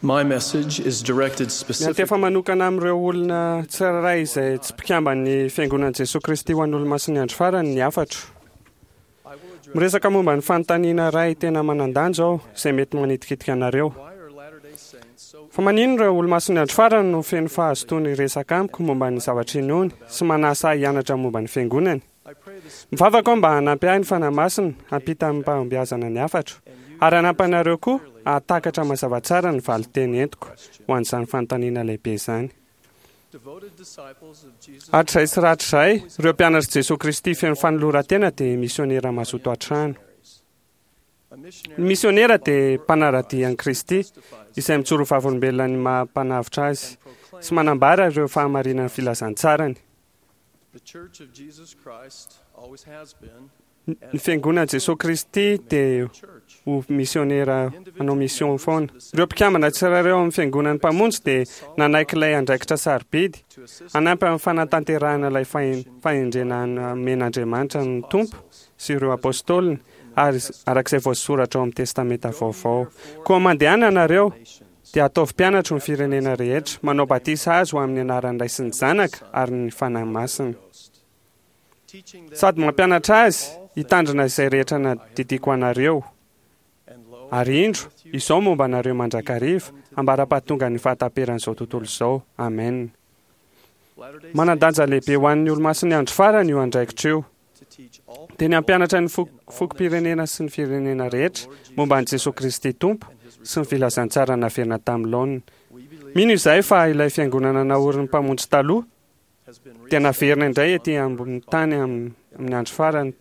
My message is directed Miantefa specifically manokana amin'ireo olona tsirairay izay tsy mpikamban'ny Fiangonan'i Jesoa Kristy ho an'ny Olomasin'ny Andro Farany ny hafatro. Miresaka momba ny fanontaniana iray tena manan-danja aho izay mety manitikitika anareo. Why are Latter-day Saints so Fa maninona ireo Olomasin'ny Andro Farany no feno fahazotoana hiresaka amiko momba ny zavatra inoany sy manasa ahy hianatra momba ny Fiangonany? I pray the Spirit Mivavaka aho mba hanampy ahy ny Fanahy Masina hampita amim-pahombiazana ny hafatro, ary hanampy anareo koa hahatakatra mazava tsara ny valin-teny entiko ho an'izany fanontaniana lehibe izany. devoted disciples of Jesus Hatrizay sy rahatrizay, ireo mpianatr'i Jesoa Kristy feno fanoloran-tena dia misionera mazoto an-trano. A Ny missionary misionera dia mpanara-dia an'i Kristy, izay mijoro ho vavolombelona ny maha-mpanavotra azy sy manambara ireo fahamarinan'ny filazantsarany. The Church of Jesus Christ always has been Ny Fiangonan'i Jesoa Kristy dia church. ho misionera hanao mission foana. Ireo mpikambana tsirairay ao amin'ny Fiangonan'ny Mpamonjy dia nanaiky ilay andraikitra sarobidy To assist hanampy amin'ny fanatanterahana ilay fahen- fahendrena nomen'Andriamanitra ny Tompo sy ireo Apôstôliny ary araka izay voasoratra ao amin'ny Testamenta Vaovao. Koa mandehana ianareo dia ataovy mpianatro ny firenena rehetra, manao batisa azy ho amin'ny anaran'ny Ray sy ny Zanaka ary ny Fanahy Masina. teaching them Sady mampianatra azy hitandrina izay rehetra nadidiako anareo. and lo Ary indro, izao momba anareo mandrakariva, ambara-pahatongan'ny fahataperan'izao tontolo izao. Amen. Latter-day Manan-danja lehibe ho an'ny Olomasin'ny Andro Farany io andraikitra io. to teach all Dia ny hampianatra ny fok- fokom-pirenena sy ny firenena rehetra momba an'i Jesoa Kristy Tompo sy ny filazantsara naverina tamin'ny laoniny. we believe Mino izahay fa ilay fiangonana naorin'ny Mpamonjy taloha has been dia naverina indray ety ambonin'ny tany am- amin'ny andro farany.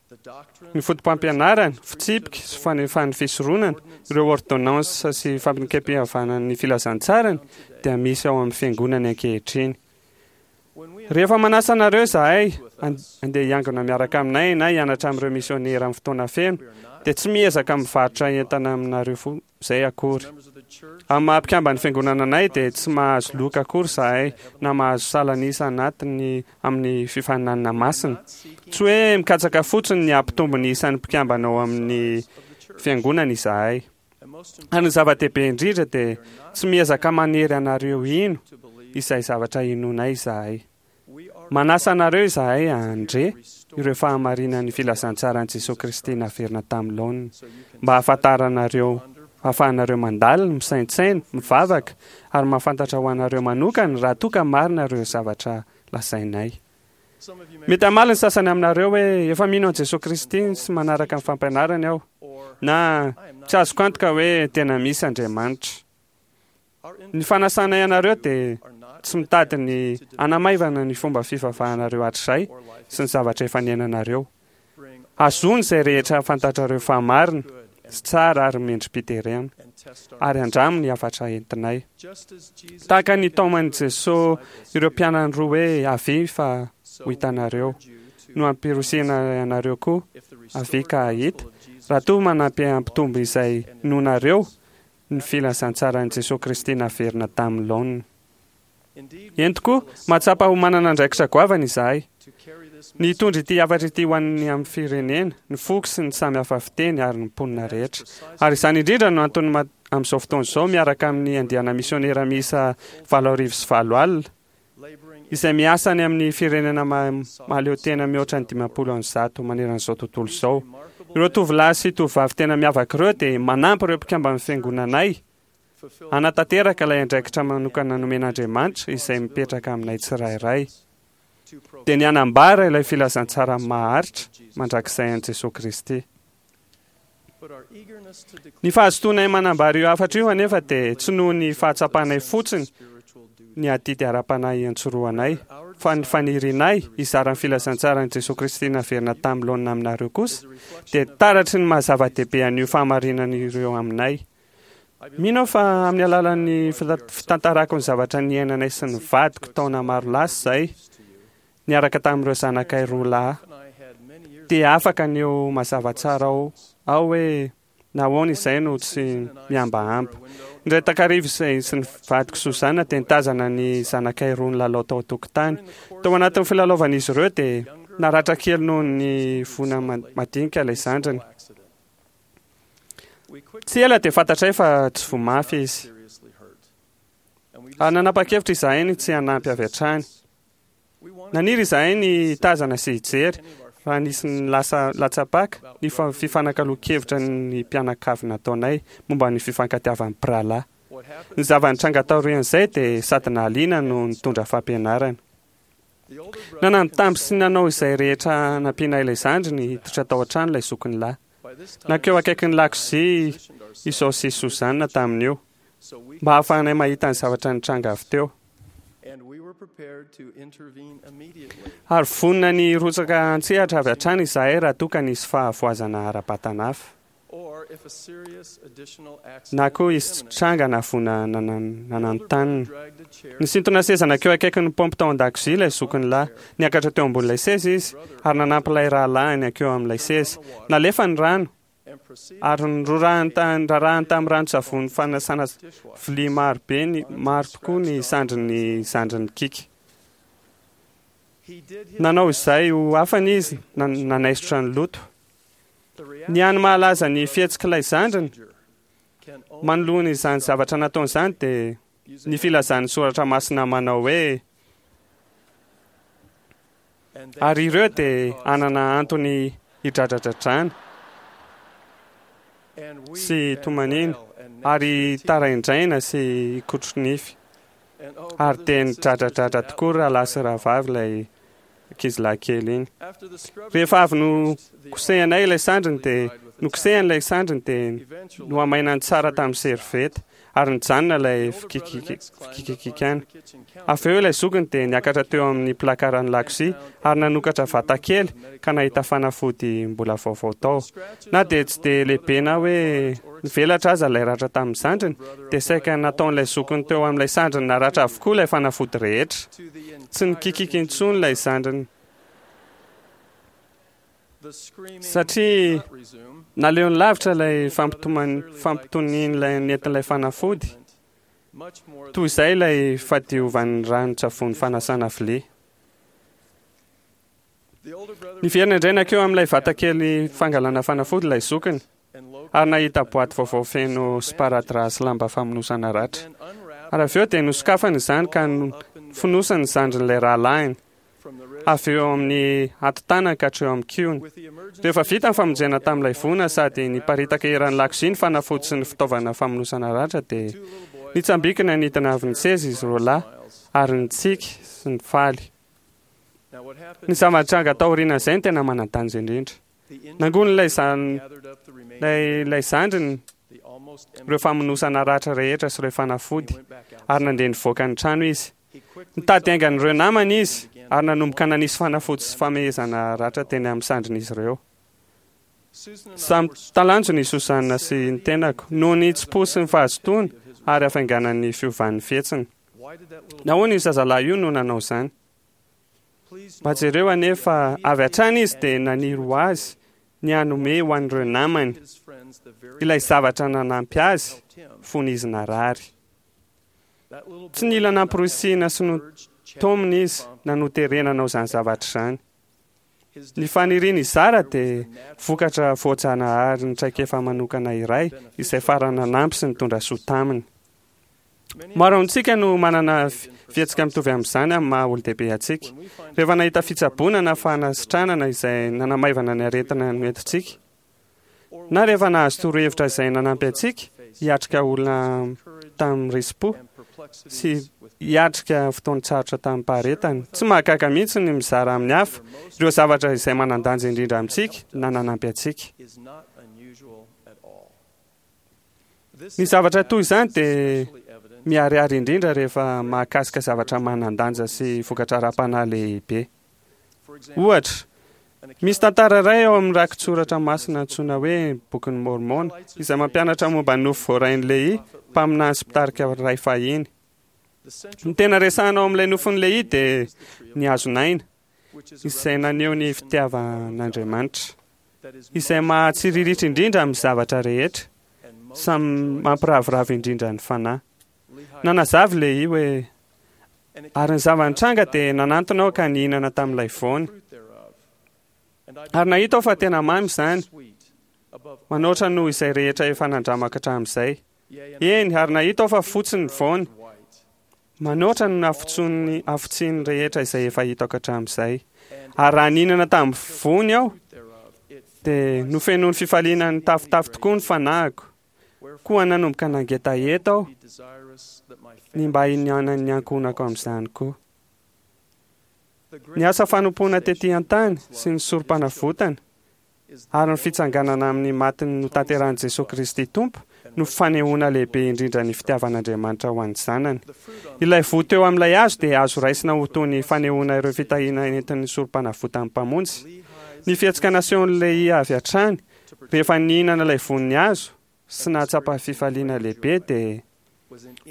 the doctrine Ny fotopampianarana, fitsipika sy fanefan'ny fisoronana, ireo ordonnance sy fampinekem-pihavanan'ny filazantsarany dia misy ao amin'ny fiangonany ankehitriny. when we Rehefa manasa anareo izahay an- andeha hiangona miaraka aminay na hianatra amin'ireo misionera amin'ny fotoana feno, dia tsy miezaka mivarotra entana aminareo fo izay akory. members of the church Amin'ny maha mpikamban'ny fiangonana anay dia tsy mahazo loka akory izahay na mahazo salan'isa anatiny amin'ny fifaninanana masina. Tsy hoe mikatsaka fotsiny ny hampitombo ny isan'ny mpikambana ao amin'ny fiangonana izahay. and most Ary ny zava-dehibe indrindra dia tsy miezaka manery anareo hino to believe izay zavatra inoanay izahay. we are Manasa anareo izahay handre ireo fahamarinan'ny filazantsaran'i Jesoa Kristy naverina tamin'ny laoniny so you can mba hahafantaranareo hahafahanareo mandalina, misaintsaina, mivavaka ary mahafantatra ho anareo manokana raha toa ka marina ireo zavatra lazainay. some of you may Mety hamaly ny sasany aminareo hoe efa mino an'i Jesoa Kristy sy manaraka ny fampianarany aho or na I am not tsy azoko antoka hoe tena misy Andriamanitra. our Ny fanasanay anareo dia are not tsy mitady ny hanamaivana ny fomba fivavahanareo hatrizay or life sy ny zavatra efa niainanareo. bring Azony izay rehetra fantatrareo fa marina good sy tsara ary mendri-piterena and test our ary andramo ny hafatra entinay. just as Jesus Tahaka ny taoman'i Jesoa ireo mpianany roa hoe avia fa so ho hitanareo urge you to no ampirisihana anareo koa if the avia restored ka hahita gospel of Jesus raha toa manampy hampitombo izay nonareo ny filazantsaran'i Jesoa Kristy naverina tamin'ny laoniny. indeed Eny tokoa, mahatsapa ho manana andraikitra goavana izahay. to carry this Ny hitondra ity hafatra ity ho an'ny amin'ny firenena, ny foko sy ny samy hafa fiteny ary ny mponina rehetra. Ary izany indrindra no antony ma- amin'izao fotoana izao miaraka amin'ny andiana misionera miisa 880 laboring izay miasa any amin'ny firenena ma- mahaleo tena mihoatra ny 150 maneran'izao tontolo izao. Ireo tovolahy sy tovovavy tena miavaka ireo dia manampy ireo mpikamban'ny fiangonanay fulfill hanatanteraka ilay andraikitra manokana nomen'Andriamanitra izay mipetraka aminay tsirairay. to Dia ny hanambara ilay filazantsara maharitra mandrakizay an'i Jesoa Kristy. but our eagerness to declare Ny fahazotoanay manambara io hafatra io anefa dia tsy noho ny fahatsapanay fotsiny spiritual duty ny adidy ara-panahy iantsorohanay, fa ny fanirianay hizara ny filazantsaran'i Jesoa Kristy naverina tamin'ny laonina aminareo kosa dia taratry ny maha zava-dehibe an'io fahamarinana ireo aminay. Mino aho fa amin'ny alalan'ny fita- fitantarako ny zavatra niainanay sy ny vadiko taona maro lasa izay, niaraka tamin'ireo zanakay roa lahy, and I had many years dia afaka ny eo mazava tsara ao aho hoe nahoana izay no tsy mihambahamba. Indray takariva izay sy ny vadiko Suzana dia nitazana ny zanakay roa nilalao tao an-tokotany. Tao anatin'ny filalaovan'izy ireo dia naratra kely noho ny voana ma- madinika ilay zandriny. accident. Tsy ela dia fantatray fa tsy voa mafy izy. Ary nanapa-kevitra izahay ny tsy hanampy avy hatrany. Naniry izahay ny hitazana sy hijery raha nisy ny lasa latsa-paka ny fifanakaloan-kevitra ny mpianakavy nataonay momba ny fifankatiavan'ny mpirahalahy. Ny zava-nitranga taorian'izay dia sady nahaliana no nitondra fampianarana. Nanambitamby sy nanao izay rehetra hanampiana ilay zandriny hiditra tao an-trano ilay zokiny lahy. Nankeo akaikin'ny lakozia i Zao sy Susanna tamin'io, mba hahafahanay mahita ny zavatra nitranga avy teo. Ary vonona ny hirotsaka an-tsehatra avy hatrany izahay raha toa ka nisy fahavoazana ara-batana hafa. Na koa hisy tranga na voina nananontanona. Nisintona seza nankeo akaikin'ny paompy tao an-dakozia ilay zokiny lahy. Niakatra teo ambonin'ilay seza izy ary nanampy ilay rahalahiny hankeo amin'ilay seza. Nalefa ny rano ary norarahiny tamin'ny ranon-tsavony fanasana vilia maro be ny maro tokoa ny sandrin'ny zandriny Kika. Nanao izay ho afany izy nanaisotra ny loto. Ny hany mahalaza ny fihetsik'ilay zandriny manoloana izany zavatra nataony izany dia ny filazan'ny soratra masina manao hoe ary ireo dia hanana antony hidradradradrana sy hitomaniana ary hitaraindraina sy hikotro-nify. Ary dia nidradradradra tokoa ry rahalahy sy rahavavy ilay ankizilahy kely iny. Rehefa avy nokosehanay ilay sandriny dia nokosehany ilay sandriny dia nohamainany tsara tamin'ny servieta ary nijanona ilay fikikikikana. Avy eo ilay zokiny dia niakatra teo amin'ny plakaran'ny lakozia ary nanokatra vata kely ka nahita fanafody mbola vaovao tao. Na dia tsy dia lehibe na hoe nivelatra aza ilay ratra tamin'ny zandriny, dia saika nataon'ilay zokiny teo amin'ilay sandriny naratra avokoa ilay fanafody rehetra. Tsy nikikiky intsony ilay zandriny satria naleony lavitra ilay fampitonian'ilay nentin'ilay fanafody toy izay ilay fadiovan'ny ranon-tsavony fanasana vilia. Niverina indray nankeo amin'ilay vatakely fangalana fanafody ilay zokiny ary nahita boaty vaovao feno sparadrap sy lamba famonosana ratra. Ary avy eo dia nosokafany izany ka nofonosany ny zandrin'ilay rahalahiny, avy eo amin'ny hatotanany ka hatreo amin'ny kihony. Rehefa vita ny famonjena tamin'ilay voina sady niparitaka eran'ny lakozia ny fanafody sy ny fitaovana famonosana ratra dia nitsambikina nidina avy ny seza izy roalahy ary nitsiky sy nifaly. Ny zava-nitranga taorian'izay no tena manan-danja indrindra. Nangonin'ilay ilay zandriny ireo famonosana ratra rehetra sy ireo fanafody, ary nandeha nivoaka ny trano izy. Nitady haingan'ireo namany izy, ary nanomboka nanisy fanafody sy famehezana ratra teny amin'ny sandrin'izy ireo. Samy talanjona i Susanna sy ny tenako, noho ny hitsim-po sy ny fahazotoany ary hafainganan'ny fiovan'ny fihetsiny. Nahoana io zazalahy io no nanao izany? Mba jereo anie fa avy hatrany izy dia naniry ho azy ny hanome ho an'ireo namany ilay zavatra nanampy azy fony izy narary. Tsy nila namporisihina sy notaomina izy na noterena hanao izany zavatra izany. Ny faniriany hizara dia vokatra voajanahary ny traikefa manokana iray izay farany nanampy sy nitondra soa taminy. Maro amintsika no manana fihetsika mitovy amin'izany amin'ny maha olon-dehibe antsika. Rehefa nahita fitsaboana na fanasitranana izay nanamaivana ny aretina noentintsika, na rehefa nahazo torohevitra izay nanampy antsika hiatrika olona tamin'ny risi-po sy hiatrika fotoan-tsarotra tamim-paharetana. Tsy mahagaga mihitsy ny mizara amin'ny hafa ireo zavatra izay manan-danja indrindra amintsika na nanampy antsika. Ny zavatra toy izany dia miharihary indrindra rehefa mahakasika zavatra manan-danja sy vokatra ara-panahy lehibe. Ohatra, misy tantara iray ao amin'ny rakitsoratra masina antsoina hoe Bokin'i Môrmôna izay mampianatra momba ny nofy voarain'i Lehia, mpaminany sy mpitarika iray fahiny. Ny tena resahina ao amin'ilay nofin'i Lehia dia ny hazon'aina, izay naneho ny fitiavan'Andriamanitra, izay mahatsiriritra indrindra amin'ny zavatra rehetra, samy mampiraviravy indrindra ny fanahy. Nanazava i Lehia hoe, Ary ny zava-nitranga dia nanantona aho ka nihinana tamin'ilay voany. Ary nahita aho fa tena mamy izany. Manoatra noho izay rehetra efa nandramako hatramin'izay. Eny, ary nahita aho fa fotsy ny voany. Manoatra no nafotson'ny hafotsian'ny rehetra izay efa hitako hatramin'izay. Ary raha nihinana tamin'ny voany aho, dia nofenoin'ny fifaliana nitafotafo tokoa ny fanahiko. Koa nanomboka nangetaheta aho ny mba hihinanan'ny ankohonako amin'izany koa. Ny asa fanompoana tetỳ an-tany sy ny sorom-panavotana ary ny fitsanganana amin'ny maty notanterahin'i Jesoa Kristy Tompo no fanehoana lehibe indrindra ny fitiavan'Andriamanitra ho an'ny zanany. Ilay voa teo amin'ilay hazo dia azo raisina ho toy ny fanehoana ireo fitahiana entin'ny sorom-panavotan'ny Mpamonjy. Ny fihetsika nasehon'i Lehia avy hatrany rehefa nihinana ilay voan'ny hazo sy nahatsapa fifaliana lehibe dia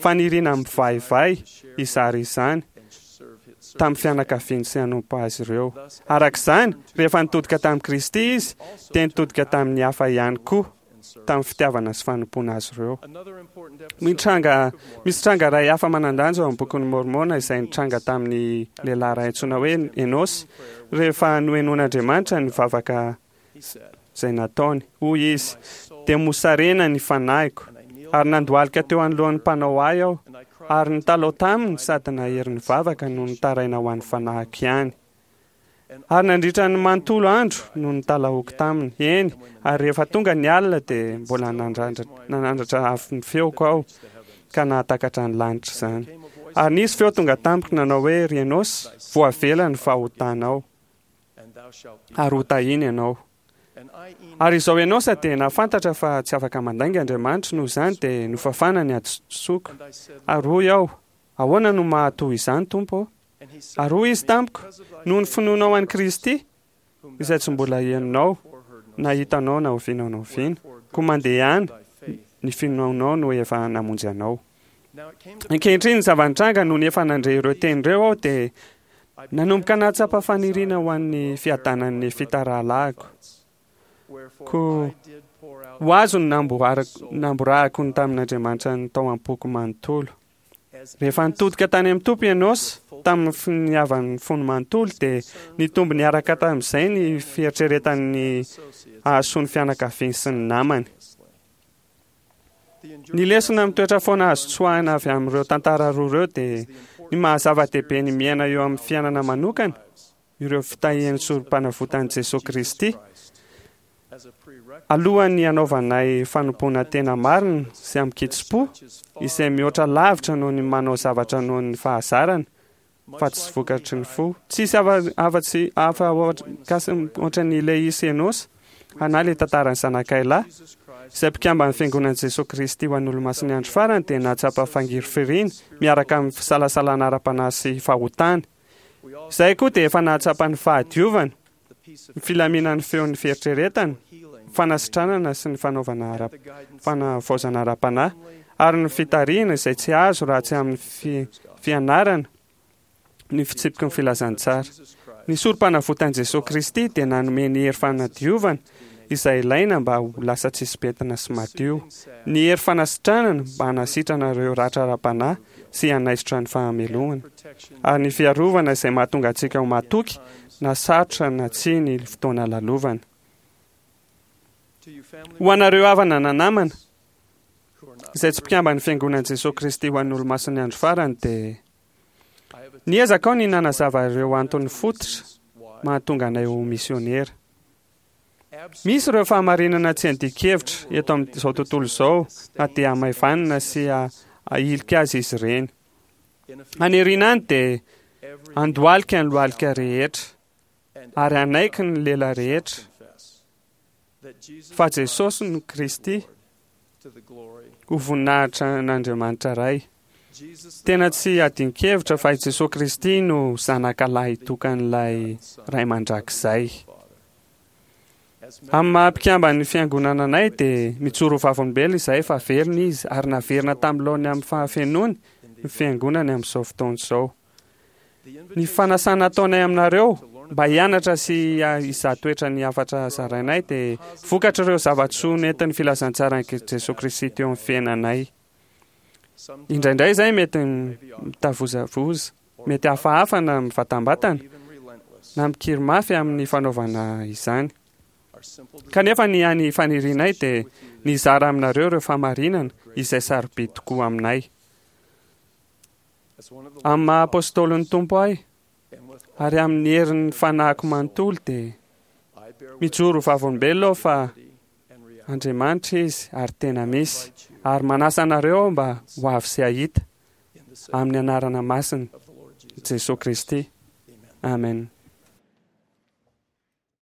faniriana mivaivay hizara izany tamin'ny fianakaviany sy hanompo azy ireo. Araka izany, rehefa nitodika tamin'i Kristy izy, dia nitodika tamin'ny hafa ihany koa, tamin'ny fitiavana sy fanompoana azy ireo. Mitranga, misy tranga iray hafa manan-danja ao amin'ny Bokin'i Môrmôna izay nitranga tamin'ny lehilahy iray antsoina hoe Enôsy, rehefa nohenoin'Andriamanitra ny vavaka izay nataony. Hoy izy, Dia mosarena ny fanahiko, ary nandohalika teo anoloan'ny Mpanao ahy aho, ary nitalaho taminy sady nahery nivavaka no nitaraina ho an'ny fanahiko ihany. Ary nandritra ny manontolo andro no nitalahoako taminy, eny, ary rehefa tonga ny alina dia mbola nanandratra avo ny feoko aho, ka nahatakatra ny lanitra izany. Ary nisy feo tonga tamiko nanao hoe, Ry Enôsy, voavela ny fahotanao. ary ho tahiany ianao. Ary izao Enosa dia nahafantatra fa tsy afaka mandainga Andriamanitra, noho izany dia nofafana ny hadisoako. Ary hoy aho, Ahoana no maha toy izany, Tompo ô? Ary hoy Izy tamiko, Noho ny finoanao an'i Kristy, izay tsy mbola henonao na hitanao na oviana na oviana, koa mandehana, ny finoanao no efa namonjy anao. Ankehitriny ny zava-nitranga nony efa nandre ireo teny ireo aho dia nanomboka nahatsapa faniriana ho an'ny fiadanan'ny Nefita rahalahiko. Koa ho azo ny namborahako ny tamin'Andriamanitra ny tao am-poko manontolo. Rehefa nitodika tany amin'ny Tompo i Enôsa, tamin'ny finiavan'ny fony manontolo, dia nitombo niaraka tamin'izay ny fieritreretany ny hahasoa ny fianakaviany sy ny namany. Ny lesona mitoetra foana azo tsoahina avy amin'ireo tantara roa ireo dia ny maha-zava-dehibe ny miaina eo amin'ny fiainana manokana ireo fitahian'ny Sorompanavotan'i Jesoa Kristy alohan'ny hanaovanay fanompoana tena marina sy amin-kitsim-po izay mihoatra lavitra noho ny manao zavatra noho ny fahazarana fa tsy vokatry ny fo. Tsisy afa-tsy hafa ohatran'ny Lehia sy Enôsa, na ilay tantaran'ny zanakay lahy, izay mpikamban'ny Fiangonan'i Jesoa Kristy ho an'ny Olomasin'ny Andro Farany dia nahatsapa fangirifiriana miaraka amin'ny fisalasalana ara-panahy sy fahotana. Izahay koa dia efa nahatsapa ny fahadiovana, ny filaminan'ny feon'ny fieritreretana, ny fanasitranana sy ny fanaovana ara fanavaozana ara-panahy, ary ny fitarihana izay tsy azo raha tsy amin'ny fianarana ny fitsipiky ny filazantsara. Ny Sorompanavotan'i Jesoa Kristy dia nanome ny hery fanadiovana izay ilaina mba ho lasa tsisy pentina sy madio, ny hery fanasitranana mba hanasitrana ireo ratra ara-panahy sy hanaisotra ny fahamelohana, ary ny fiarovana izay mahatonga antsika ho matoky na sarotra na tsia ny fotoana lalovana. Ho anareo havana na namana izay tsy mpikamban'ny Fiangonan'i Jesoa Kristy ho an'ny Olomasin'ny Andro Farany dia niezaka aho ny nanazava ireo antony fototra mahatonga anay ho misiônera. Misy ireo fahamarinana tsy andian-kevitra eto amin'izao tontolo izao na dia hamaivanina sy ahilika azy izy ireny. Any aoriana any dia handohalika ny lohalika rehetra ary hanaiky ny lela rehetra fa Jesosy no Kristy ho voninahitra an'Andriamanitra Ray. Tena tsy adin-kevitra fa i Jesoa Kristy no Zanaka lahitokan'ilay Ray Mandrakizay. Amin'ny maha mpikamban'ny Fiangonana anay dia mijoro ho vavolombelona izahay fa velona Izy ary naverina tamin'ny laoniny amin'ny fahafenoany ny Fiangonany amin'izao fotoana izao. Ny fanasana ataonay aminareo mba hianatra sy hizaha toetra ny hafatra zarainay dia vokatr'ireo zava-tsoa nentin'ny filazantsaran'i Jesoa Kristy teo amin'ny fiainanay. Indraindray izay mety mitavozavoza, mety hafahafa na mivatambatana, na mikiry mafy amin'ny fanaovana izany. Kanefa ny hany fanirianay dia ny hizara aminareo ireo fahamarinana izay sarobidy tokoa aminay. Amin'ny maha apôstôlin'ny Tompo ahy ary amin'ny herin'ny fanahiko manontolo dia mijoro ho vavolombelona aho fa Andriamanitra Izy ary tena misy, ary manasa anareo aho mba ho avy sy hahita, amin'ny anarana masina Jesoa Kristy. Amen.